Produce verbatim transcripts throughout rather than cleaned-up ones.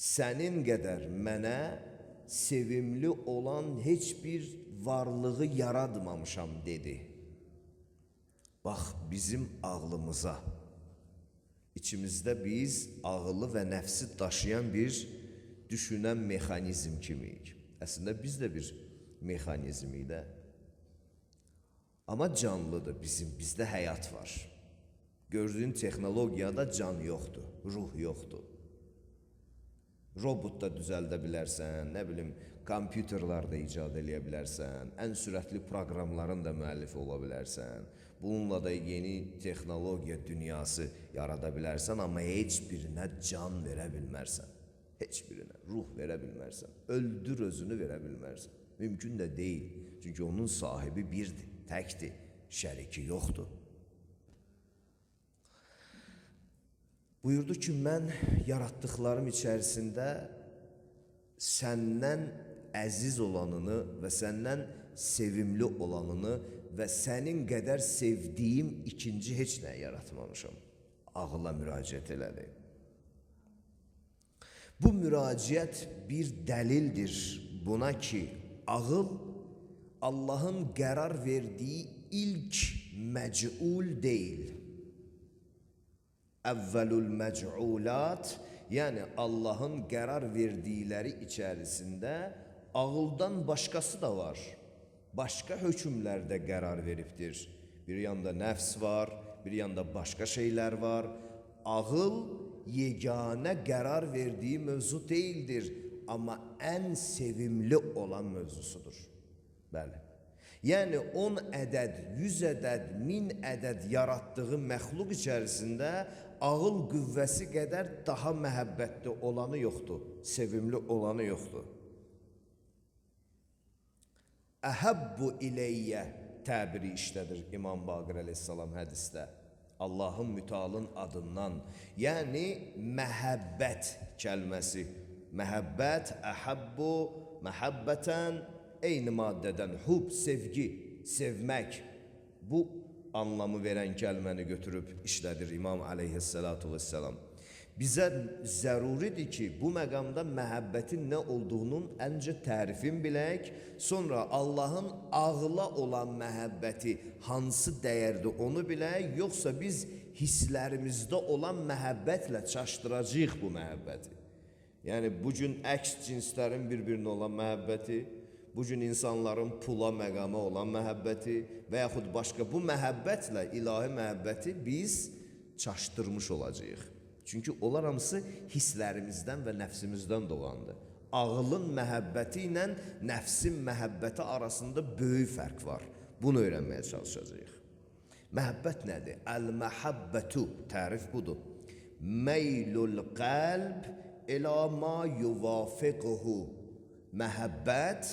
sənin qədər mənə sevimli olan heç bir varlığı yaratmamışam dedi. Bax bizim ağlımıza, içimizdə biz ağılı və nəfsi daşıyan bir düşünən mexanizm kimiyik. Əslində biz də bir mexanizmiyik də. Amma canlıdır bizim, bizdə həyat var. Gördüyün texnologiyada can yoxdur, ruh yoxdur. Robot da düzəldə bilərsən, nə bilim, kompüterlər də icad edə bilərsən, ən sürətli proqramların da müəllifi ola bilərsən. Bununla da yeni texnologiya dünyası yarada bilərsən, amma heç birinə can verə bilmərsən. Heç birinə ruh verə bilmərsən. Öldür özünü verə bilmərsən. Mümkün də deyil. Çünki onun sahibi birdir, təkdir, şəriki yoxdur. Buyurdu ki, mən yaratdıqlarım içərisində səndən əziz olanını və səndən sevimli olanını və sənin qədər sevdiyim ikinci heç nə yaratmamışam. Ağıla müraciət elədi. Bu müraciət bir dəlildir buna ki, ağıl Allahın qərar verdiyi ilk məc'ul deyil. Əvvəlül məc'ulat, yəni Allahın qərar verdikləri içərisində ağıldan başqası da var. Başqa hökmlərdə qərar veribdir. Bir yanda nəfs var, bir yanda başqa şeylər var. Ağıl yeganə qərar verdiyi mövzu deyildir, amma ən sevimli olan mövzusudur. Bəli. Yəni on ədəd, yüz ədəd, min ədəd yaratdığı məxluq içərisində ağıl qüvvəsi qədər daha məhəbbətli olanı yoxdur, sevimli olanı yoxdur. Əhəbbu iləyyə təbiri işlədir İmam Baqir əleyhissalam hədisdə. Allahın mütealın adından, yəni məhəbbət kəlməsi. Məhəbbət, əhəbbu, məhəbbətən, eyni maddədən, hub, sevgi, sevmək. Bu anlamı verən kəlməni götürüb işlədir İmam əleyhissalatu vesselam. Bizə zəruridir ki, bu məqamda məhəbbətin nə olduğunun əncə tərifin bilək, sonra Allahın ağla olan məhəbbəti hansı dəyərdir onu bilək, yoxsa biz hisslərimizdə olan məhəbbətlə çaşdıracağıq bu məhəbbəti. Yəni, bugün əks cinslərin bir-birinə olan məhəbbəti, bugün insanların pula məqama olan məhəbbəti və yaxud başqa bu məhəbbətlə ilahi məhəbbəti biz çaşdırmış olacağıq. Çünki onlar hamısı hisslərimizdən və nəfsimizdən doğandır. Ağılın məhəbbəti ilə nəfsin məhəbbəti arasında böyük fərq var. Bunu öyrənməyə çalışacağıq. Məhəbbət nədir? Əl-məhəbbətu, tərif budur. Meylul qəlb ilə ma yuvafiqhu. Məhəbbət,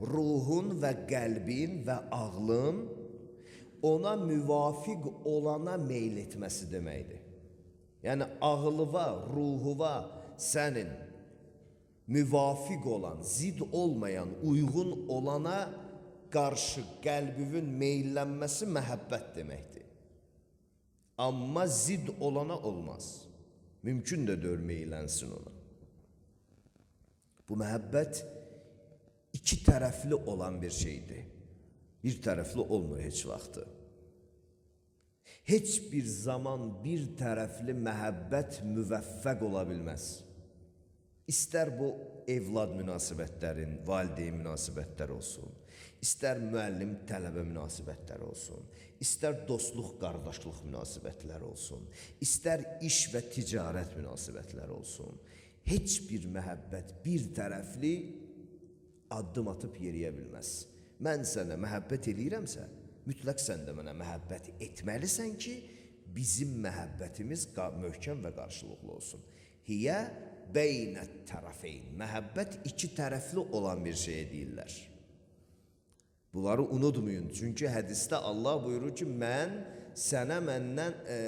ruhun və qəlbin və ağlın ona müvafiq olana meyl etməsi deməkdir. Yəni, ağılıva, ruhuva sənin müvafiq olan, zid olmayan, uyğun olana qarşı qəlbivin meyllənməsi məhəbbət deməkdir. Amma zid olana olmaz. Mümkün də deyil meyllənsin ona. Bu məhəbbət iki tərəfli olan bir şeydir. Bir tərəfli olmur heç vaxtı. Heç bir zaman bir tərəfli məhəbbət müvəffəq ola bilməz. İstər bu evlad münasibətlərin, valideyn münasibətləri olsun, istər müəllim-tələbə münasibətləri olsun, istər dostluq, qardaşlıq münasibətləri olsun, istər iş və ticarət münasibətləri olsun. Heç bir məhəbbət bir tərəfli addım atıb yeriyə bilməz. Mən sənə məhəbbət eləyirəmsə, mütləq sən də mənə məhəbbət etməlisən ki, bizim məhəbbətimiz möhkəm və qarşılıqlı olsun. Hiyə beynət tərəfeyn. Məhəbbət iki tərəfli olan bir şeyə deyirlər. Bunları unutmayın. Çünki hədisdə Allah buyurur ki, mən sənə məndən, e,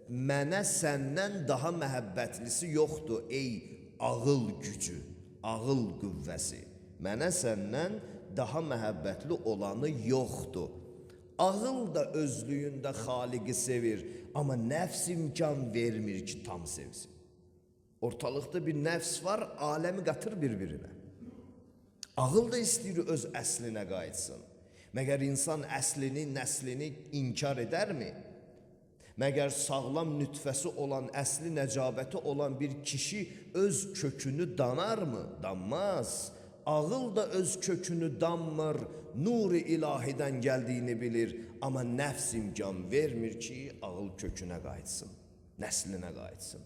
mənə səndən daha məhəbbətlisi yoxdur, ey ağıl gücü, ağıl qüvvəsi. Mənə səndən daha məhəbbətli olanı yoxdur. Ağıl da özlüyündə Xaliqi sevir, amma nəfs imkan vermir ki, tam sevsin. Ortalıqda bir nəfs var, aləmi qatır bir-birinə. Ağıl da istəyir öz əslinə qayıtsın. Məgər insan əslini, nəslini inkar edərmi? Məgər sağlam nütfəsi olan, əsli nəcabəti olan bir kişi öz kökünü danarmı? Danmaz. Ağıl da öz kökünü danmır, nur-i ilahidən gəldiyini bilir. Amma nəfs imkan vermir ki, ağıl kökünə qayıtsın, nəslinə qayıtsın.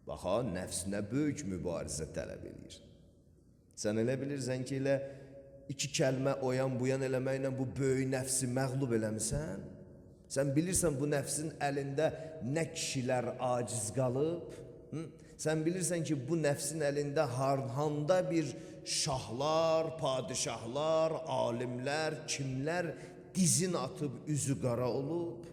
Baxa, nəfs nə böyük mübarizə tələb edir. Sən elə bilirsən ki, elə iki kəlmə oyan buyan eləməklə bu böyük nəfsi məğlub eləmisən? Sən bilirsən bu nəfsin əlində nə kişilər aciz qalıb? Hı? Sən bilirsən ki, bu nəfsin əlində harhanda bir şahlar, padişahlar, alimlər, kimlər dizin atıb üzü qara olub?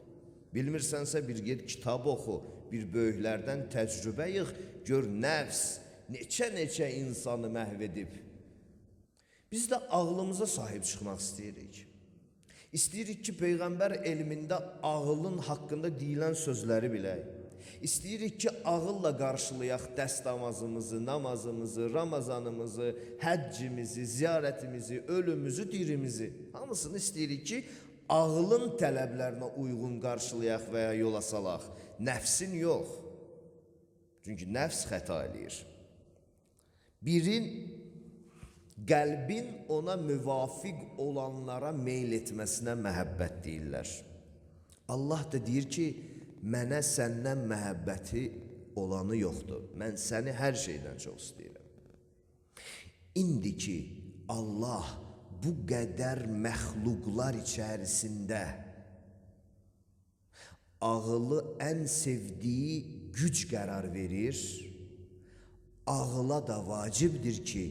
Bilmirsənsə bir get kitab oxu, bir böyüklərdən təcrübə yığ, gör nəfs neçə-neçə insanı məhv edib. Biz də ağlımıza sahib çıxmaq istəyirik. İstəyirik ki, Peyğəmbər elmində ağılın haqqında deyilən sözləri bilək. İstəyirik ki, ağılla qarşılayaq dəstəmazımızı, namazımızı, Ramazanımızı, həccimizi, ziyarətimizi, ölümümüzü, dirimizi. Hamısını istəyirik ki, ağılın tələblərinə uyğun qarşılayaq və ya yola salaq. Nəfsin yox. Çünki nəfs xəta eləyir. Birin qəlbin ona müvafiq olanlara meyl etməsinə məhəbbət deyirlər. Allah da deyir ki, mənə səndən məhəbbəti olanı yoxdur. Mən səni hər şeydən çox istəyirəm. İndi ki, Allah bu qədər məxluqlar içərisində ağılı ən sevdiyi güc qərar verir, ağıla da vacibdir ki,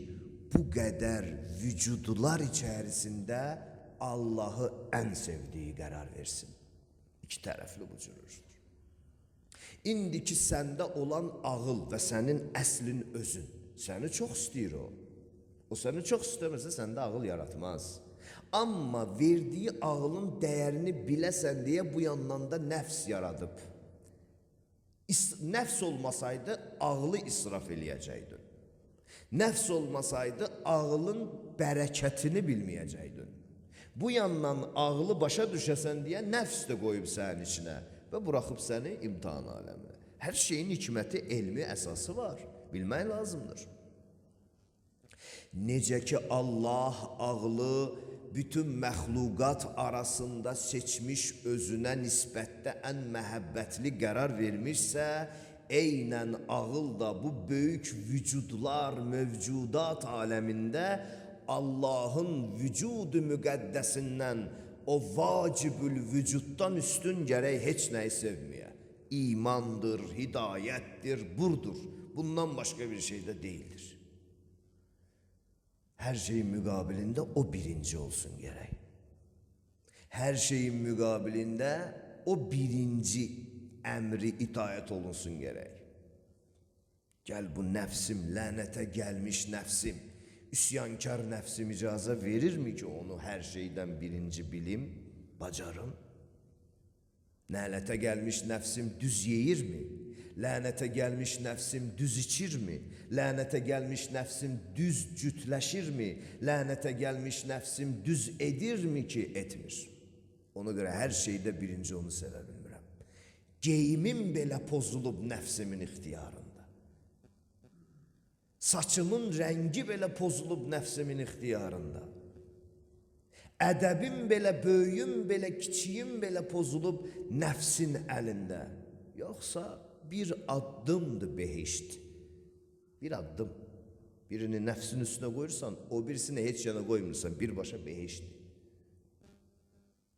bu qədər vücudlar içərisində Allahı ən sevdiyi qərar versin. İki tərəfli bu cürürdür. İndi ki, səndə olan ağıl və sənin əslin özün, səni çox istəyir o. O səni çox istəmirsə, səndə ağıl yaratmaz. Amma verdiyi ağılın dəyərini biləsən deyə bu yandan da nəfs yaradıb. Nəfs olmasaydı, ağlı israf eləyəcəkdin. Nəfs olmasaydı, ağılın bərəkətini bilməyəcəkdin. Bu yandan ağlı başa düşəsən deyə nəfs də qoyub sənin içinə və buraxıb səni imtihan aləminə. Hər şeyin hikməti, elmi əsası var. Bilmək lazımdır. Necə ki, Allah ağlı bütün məxluqat arasında seçmiş özünə nisbətdə ən məhəbbətli qərar vermişsə, eynən ağıl da bu böyük vücudlar, mövcudat aləmində Allahın vücudu müqəddəsindən, o vacibül vücuddan üstün gərək heç nəyi sevməyə. İmandır, hidayətdir, burdur. Bundan başqa bir şey də deyildir. Hər şeyin müqabilində o birinci olsun gərək. Hər şeyin müqabilində o birinci əmri itaət olunsun gərək. Gəl bu nəfsim, lənətə gəlmiş nəfsim, üsyankar nəfsim icazə verirmi ki, onu hər şeydən birinci bilim, bacarım? Lənətə gəlmiş nəfsim düz yeyirmi? Lənətə gəlmiş nəfsim düz içirmi? Lənətə gəlmiş nəfsim düz cütləşirmi? Lənətə gəlmiş nəfsim düz edirmi ki, etmir? Ona görə hər şeydə birinci onu sevə bilmirəm. Geyimim belə pozulub nəfsimin ixtiyarında. Saçımın rəngi belə pozulub nəfsimin ixtiyarında. Ədəbim belə, böyüyüm belə, kiçiyim belə pozulub nəfsin əlində. Yoxsa bir addımdır behişt. Bir addım. Birini nəfsin üstünə qoyursan, o birisini heç yana qoymursan, birbaşa behiştdir.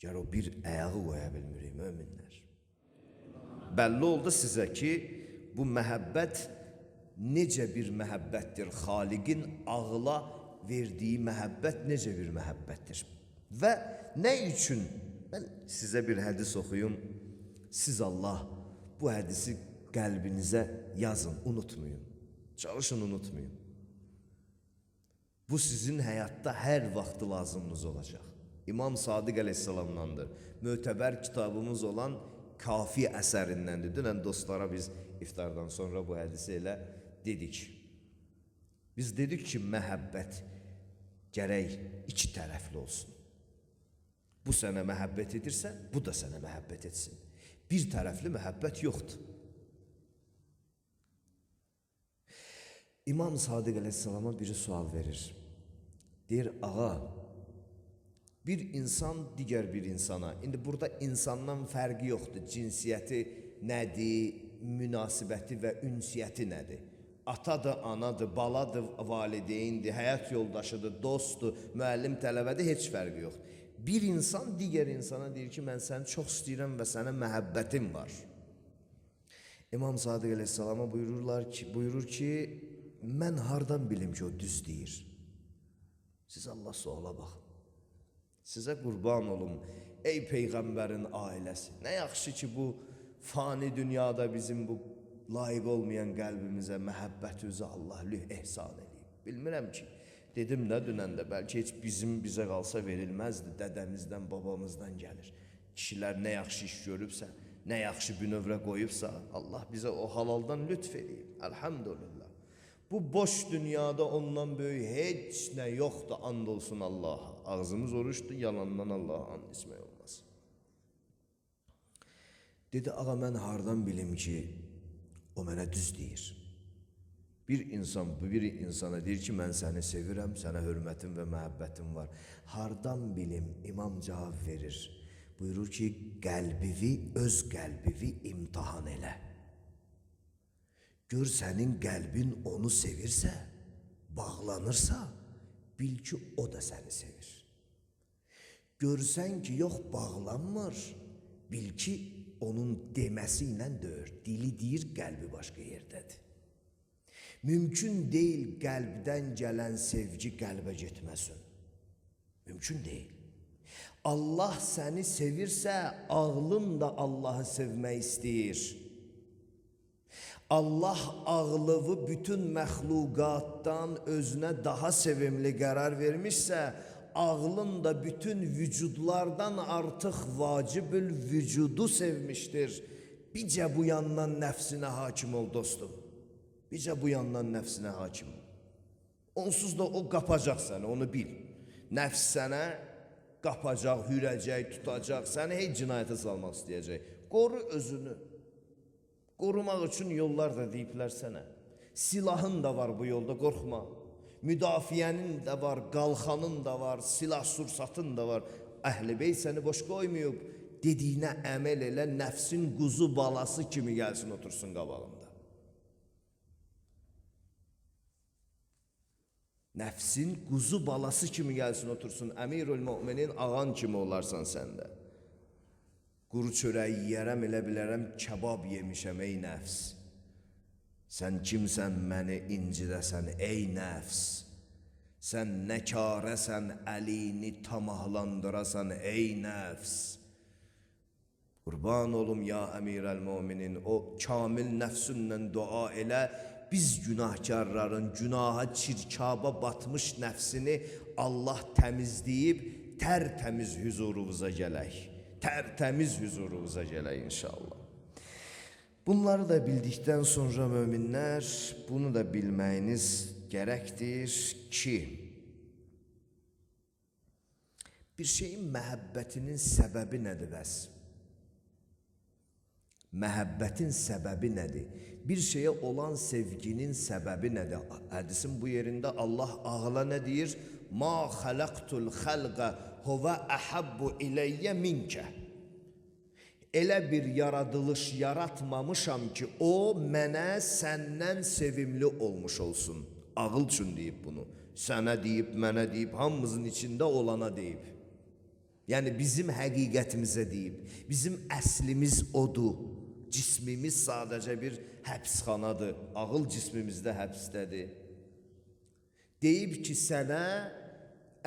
Gər o bir əyağı qoya bilmirik, möminlər. Bəlli oldu sizə ki, bu məhəbbət necə bir məhəbbətdir? Xaliqin ağıla verdiyi məhəbbət necə bir məhəbbətdir? Və nə üçün? Mən sizə bir hədis oxuyum. Siz Allah bu hədisi qəlbinizə yazın, unutmayın. Çalışın, unutmayın. Bu sizin həyatda hər vaxtı lazımınız olacaq. İmam Sadiq əleyhissalamdandır. Mötəbər kitabımız olan Kafi əsərindəndir. Dünən dostlara biz iftardan sonra bu hədisi elə dedik. Biz dedik ki, məhəbbət gərək iki tərəfli olsun. Bu sənə məhəbbət edirsə, bu da sənə məhəbbət etsin. Bir tərəfli məhəbbət yoxdur. İmam Sadiq əleyhissalama biri sual verir. Deyir, ağa, bir insan digər bir insana, indi burada insandan fərqi yoxdur, cinsiyyəti nədir, münasibəti və ünsiyyəti nədir? Atadır, anadır, baladır, valideyndir, həyat yoldaşıdır, dostdur, müəllim, tələbədir, heç fərqi yoxdur. Bir insan digər insana deyir ki, mən səni çox istəyirəm və sənə məhəbbətim var. İmam Sadiq əleyhissalama buyururlar ki, buyurur ki, mən hardan bilim ki, o düz deyir? Siz Allah suala baxın. Sizə qurban olum, ey Peyğəmbərin ailəsi. Nə yaxşı ki, bu fani dünyada bizim bu layiq olmayan qəlbimizə məhəbbət özü Allah lüh ehsan edib. Bilmirəm ki, dedim nə dünəndə, bəlkə heç bizim bizə qalsa verilməzdi, dədəmizdən, babamızdan gəlir. Kişilər nə yaxşı iş görübsə, nə yaxşı bünövrə qoyubsa, Allah bizə o halaldan lütf edib. Elhamdülillah. Bu boş dünyada ondan böyük heç nə yoxdur, and olsun Allah'a. Ağzımız oruçdur, yalandan Allah'a and ismək olmaz. Dedi, ağa, mən hardan bilim ki, o mənə düz deyir. Bir insan, bir insana deyir ki, mən səni sevirəm, sənə hörmətim və məhəbbətim var. Hardan bilim, imam cavab verir. Buyurur ki, qəlbivi, öz qəlbivi imtihan elə. Gör sənin qəlbin onu sevirsə, bağlanırsa, bil ki, o da səni sevir. Görsən ki, yox, bağlanmır, bil ki, onun deməsi ilə deyir. Dili deyir, qəlbi başqa yerdədir. Mümkün deyil qəlbdən gələn sevgi qəlbə getməsin. Mümkün deyil. Allah səni sevirsə, ağlın da Allahı sevmək istəyir. Allah ağlığı bütün məxluqatdan özünə daha sevimli qərar vermişsə, ağlın da bütün vücudlardan artıq vacibül vücudu sevmişdir. Bircə bu yandan nəfsinə hakim ol dostum. Bircə bu yandan nəfsinə hakim ol. Onsuz da o qapacaq səni, onu bil. Nəfs sənə qapacaq, hürəcək, tutacaq, səni heç cinayətə salmaq istəyəcək. Qoru özünü. Qorumaq üçün yollar da deyiblər sənə. Silahın da var bu yolda, qorxma. Müdafiənin də var, qalxanın da var, silah sursatın da var. Əhl-i Beyt səni boş qoymayıb, dediyinə əməl elə, nəfsin quzu balası kimi gəlsin, otursun qabağında. Nəfsin quzu balası kimi gəlsin, otursun, əmirül müminin ağan kimi olarsan səndə. Quru çörəyi yiyərəm, elə bilərəm, kebab yemişəm, ey nəfs. Sən kimsən, məni incidəsən, ey nəfs. Sən nə karəsən, əlini tamahlandırasan, ey nəfs. Qurban olum, ya əmirəl-müminin, o kamil nəfsünlə dua elə, biz günahkarların, günaha, çirkaba batmış nəfsini Allah təmizləyib, tərtəmiz hüzurunuza gələk. Tərtəmiz hüzurunuza gələk inşallah. Bunları da bildikdən sonra möminlər, bunu da bilməyiniz gərəkdir ki, bir şeyin məhəbbətinin səbəbi nədir bəs? Məhəbbətin səbəbi nədir? Bir şeyə olan sevginin səbəbi nədir? Hədisin bu yerində Allah ağla nə deyir? Ma xələqtul xəlqə huvə əhəbbu iləyyə minkə. Elə bir yaradılış yaratmamışam ki, o mənə səndən sevimli olmuş olsun. Ağıl üçün deyib bunu. Sənə deyib, mənə deyib, hamımızın içində olana deyib. Yəni bizim həqiqətimizə deyib. Bizim əslimiz odur. Cismimiz sadəcə bir həbsxanadır. Ağıl cismimizdə həbsdədir. Deyib ki, sənə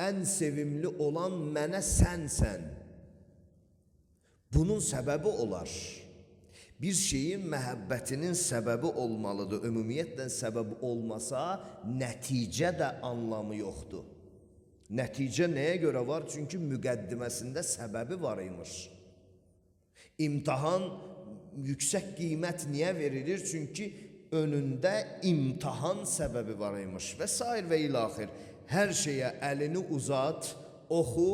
ən sevimli olan mənə sənsən. Bunun səbəbi olar. Bir şeyin məhəbbətinin səbəbi olmalıdır. Ümumiyyətlə səbəbi olmasa, nəticə də anlamı yoxdur. Nəticə nəyə görə var? Çünki müqəddiməsində səbəbi var imiş. İmtahan yüksək qiymət niyə verilir? Çünki önündə imtahan səbəbi var imiş və sair və ilaxir. Hər şeyə əlini uzat, oxu,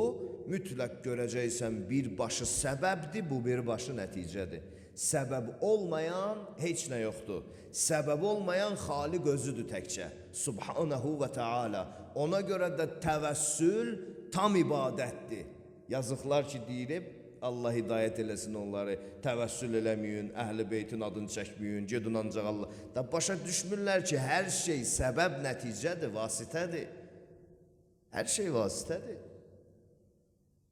mütləq görəcəksən birbaşı səbəbdir, bu birbaşı nəticədir. Səbəb olmayan heç nə yoxdur. Səbəb olmayan Xaliq özüdür təkcə. Subhanahu və Teala. Ona görə də təvəssül tam ibadətdir. Yazıqlar ki, deyilib, Allah hidayət eləsin onları, təvəssül eləməyin, əhl-i beytin adını çəkməyin, gedin ancaq Allah. Da başa düşmürlər ki, hər şey səbəb nəticədir, vasitədir. Hər şey vasitədir.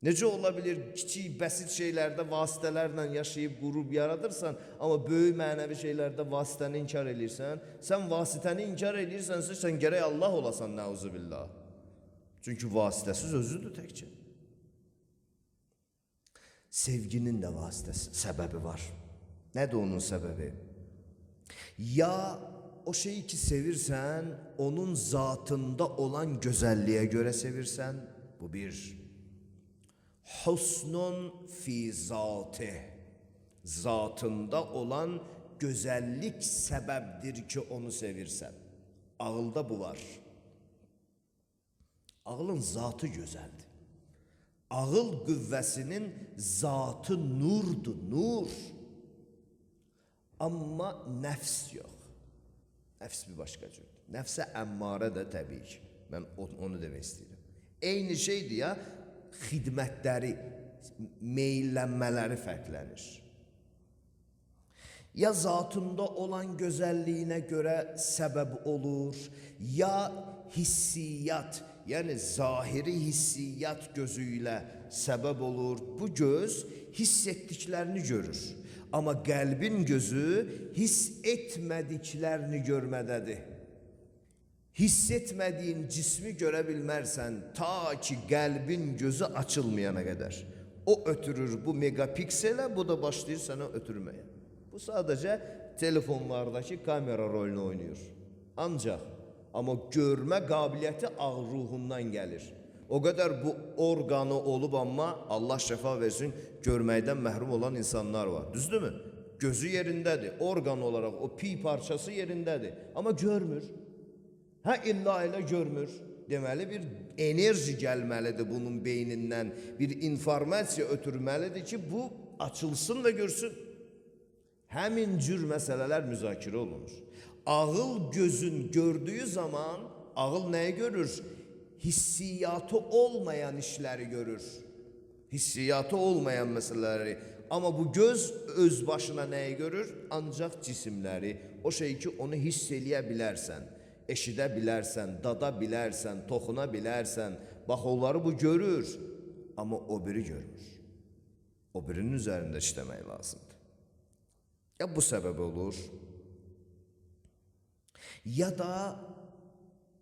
Necə ola bilir, kiçik, bəsit şeylərdə vasitələrlə yaşayıb, qurub yaradırsan, amma böyük mənəvi şeylərdə vasitəni inkar edirsən, sən vasitəni inkar edirsənsə, sən gərək Allah olasan, nəuzubillah. Çünki vasitəsiz özüdür təkcə. Sevginin də vasitəsi, səbəbi var. Nədir onun səbəbi? Ya o şeyi ki sevirsən, onun zatında olan gözəlliyə görə sevirsən, bu bir. Husnun fi zatih, zatında olan gözəllik səbəbdir ki onu sevirsən. Ağılda bu var. Ağılın zatı gözəldir. Ağıl qüvvəsinin zatı nurdur, nur. Amma nəfs yox. Nəfs bir başqa cürdür. Nəfsə əmmarə də təbii ki. Mən onu demək istəyirəm. Eyni şeydir ya, xidmətləri, meyllənmələri fərqlənir. Ya zatında olan gözəlliyinə görə səbəb olur, ya hissiyyat, yəni zahiri hissiyyat gözü ilə səbəb olur. Bu göz hiss etdiklərini görür. Amma qəlbin gözü hiss etmədiklərini görmədədir. Hiss etmədiyin cismi görə bilmərsən ta ki qəlbin gözü açılmayana qədər. O ötürür bu megapikselə, bu da başlayır sənə ötürməyə. Bu sadəcə telefonlardakı kamera rolunu oynayır. Ancaq, amma görmə qabiliyyəti ağ ruhundan gəlir. O qədər bu orqanı olub, amma Allah şəfa versin, görməkdən məhrum olan insanlar var. Düzdürmü? Gözü yerindədir, orqan olaraq o pi parçası yerindədir, amma görmür. Hə, illa elə görmür. Deməli, bir enerji gəlməlidir bunun beynindən, bir informasiya ötürməlidir ki, bu açılsın və görsün. Həmin cür məsələlər müzakirə olunur. Ağıl gözün gördüyü zaman, ağıl nəyi görür? Hissiyatı olmayan işləri görür. Hissiyatı olmayan məsələləri. Amma bu göz öz başına nəyi görür? Ancaq cisimləri. O şey ki, onu hiss eləyə bilərsən. Eşidə bilərsən, dada bilərsən, toxuna bilərsən, bax onları bu görür, amma o biri görmür. O birinin üzərində işləmək lazımdır. Ya bu səbəb olur, ya da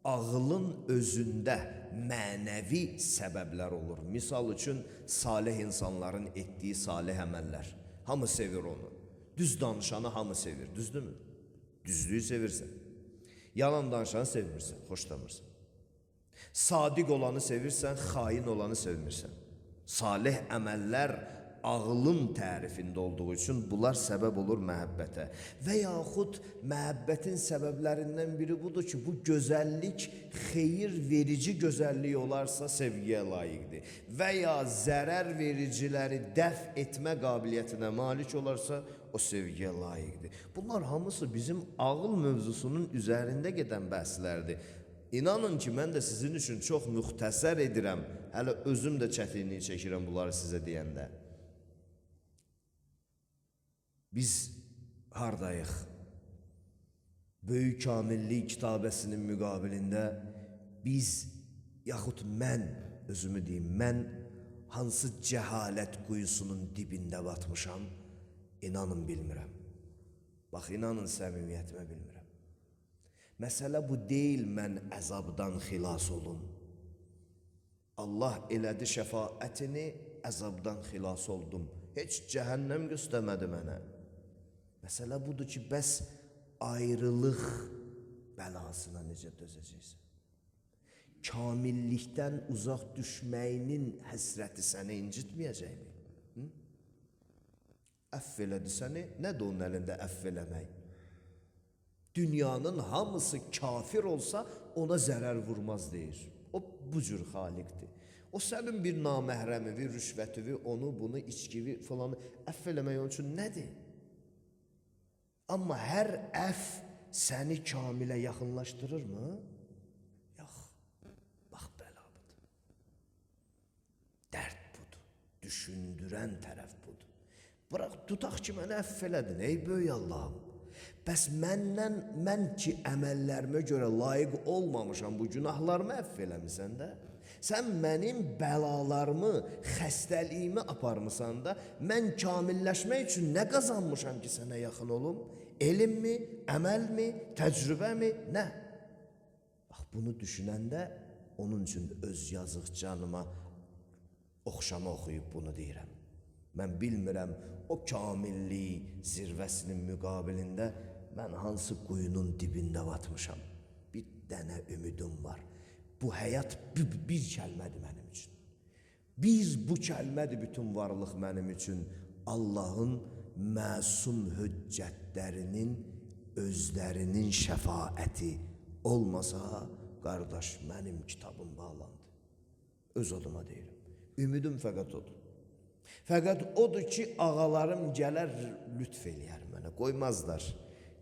ağılın özündə mənəvi səbəblər olur. Misal üçün, salih insanların etdiyi salih əməllər. Hamı sevir onu. Düz danışanı hamı sevir, düzdürmü? Düzlüyü sevirsən. Yalan danışanı sevmirsən, xoşlamırsan. Sadiq olanı sevirsən, xain olanı sevmirsən. Salih əməllər ağılın tərifində olduğu üçün bunlar səbəb olur məhəbbətə. Və yaxud məhəbbətin səbəblərindən biri budur ki, bu gözəllik xeyir verici gözəllik olarsa sevgiyə layiqdir. Və ya zərər vericiləri dəf etmə qabiliyyətinə malik olarsa o sevgiyə layiqdir. Bunlar hamısı bizim ağıl mövzusunun üzərində gedən bəhslərdir. İnanın ki, mən də sizin üçün çox müxtəsər edirəm. Hələ özüm də çətinliyi çəkirəm bunları sizə deyəndə. Biz hardayıq? Böyük Kamillik kitabəsinin müqabilində biz, yaxud mən, özümü deyim, mən hansı cəhalət quyusunun dibində batmışam, inanın bilmirəm. Bax, inanın səmimiyyətimə bilmirəm. Məsələ bu deyil, mən əzabdan xilas olum. Allah elədi şəfaətini, əzabdan xilas oldum. Heç cəhənnəm göstərmədi mənə. Məsələ budur ki, bəs ayrılıq bəlasına necə dözəcəksən? Kamillikdən uzaq düşməyinin həsrəti səni incitməyəcəkmi? Əff elədi səni, nədir onun əlində əff eləmək? Dünyanın hamısı kafir olsa ona zərər vurmaz deyir. O bu cür xaliqdir. O sənin bir naməhrəmivi, rüşvətivi, onu, bunu, içkivi falanı əff eləmək onun üçün nədir? Amma hər əff səni kamilə yaxınlaşdırırmı? Yox. Bax, bəla budur. Dərd budur. Düşündürən tərəf budur. Bırax, tutaq ki, mənə əff elədin, ey böyük Allahım. Bəs məndən, mən ki, əməllərimə görə layiq olmamışam, bu günahlarımı əff eləmisən də? Sən mənim bəlalarımı, xəstəliyimi aparmısan da, mən kamilləşmək üçün nə qazanmışam ki, sənə yaxın olum? Elmmi, əməlmi, təcrübəmi, nə? Bax, bunu düşünəndə, onun üçün öz yazıq canıma oxşama oxuyub bunu deyirəm. Mən bilmirəm, o kamillik zirvəsinin müqabilində mən hansı quyunun dibində batmışam. Bir dənə ümidim var. Bu həyat bir, bir kəlmədir mənim üçün. Bir bu kəlmədir bütün varlıq mənim üçün. Allahın məsum hüccətlərinin özlərinin şəfaəti olmasa, qardaş, mənim kitabım bağlandı. Öz adıma deyirəm. Ümidim fəqət odur. Fəqət odur ki, ağalarım gələr, lütf eləyər mənə, qoymazlar.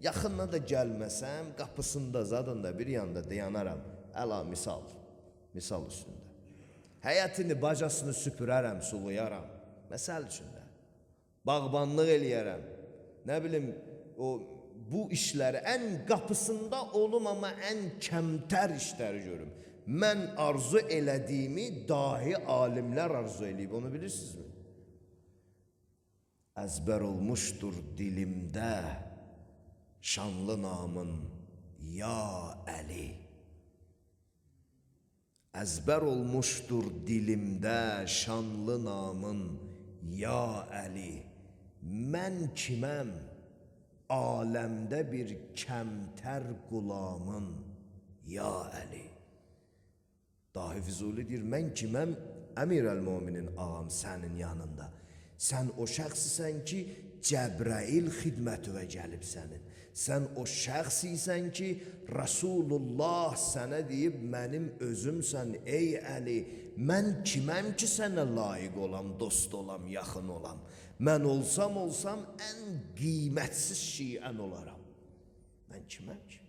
Yaxınına da gəlməsəm, qapısında, zadında bir yanda dayanaram. Əla misal, misal üstündə. Həyətini, bacasını süpürərəm, suluyaram. Məsəl üçündə. Bağbanlıq eləyərəm. Nə bilim, o, bu işləri ən qapısında olum, amma ən kəmtər işləri görüm. Mən arzu elədiyimi dahi alimlər arzu eləyib, onu bilirsinizmi? Əzbər olmuşdur dilimdə şanlı namın ya Əli. Əzbər olmuşdur dilimdə şanlı namın ya Əli. Mən kiməm aləmdə bir kəmtər qulamın ya Əli. Dahi Füzuli deyir, mən kiməm Əmir əl-Müminin ağam sənin yanında. Sən o şəxsisən ki, Cəbrail xidmətüvə gəlib sənin. Sən o şəxsisən ki, Rasulullah sənə deyib, mənim özümsən ey Əli. Mən kiməm ki, sənə layiq olam, dost olam, yaxın olam. Mən olsam olsam ən qiymətsiz şiən olaram. Mən kiməm ki?